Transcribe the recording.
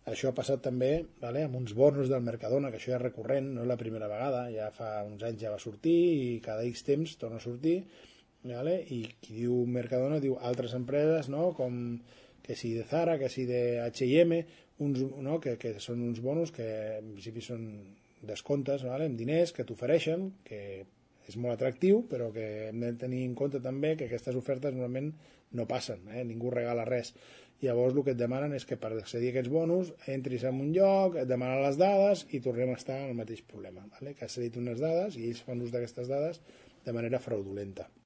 Això ha passat també amb uns bonus del Mercadona, que això ja és recurrent, no és la primera vegada, ja fa uns anys ja va sortir i cada X temps torna a sortir, i qui diu Mercadona diu altres empreses, no? Com que si de Zara, que si de H&M, que són uns bonus que en principi són descomptes amb diners que t'ofereixen, que és molt atractiu, però que hem de tenir en compte també que aquestes ofertes normalment no passen, ningú regala res. Llavors el que et demanen és que per accedir a aquests bonus entris en un lloc, et demanen les dades i tornem a estar en el mateix problema, que has cedit unes dades i ells fan ús d'aquestes dades de manera fraudulenta.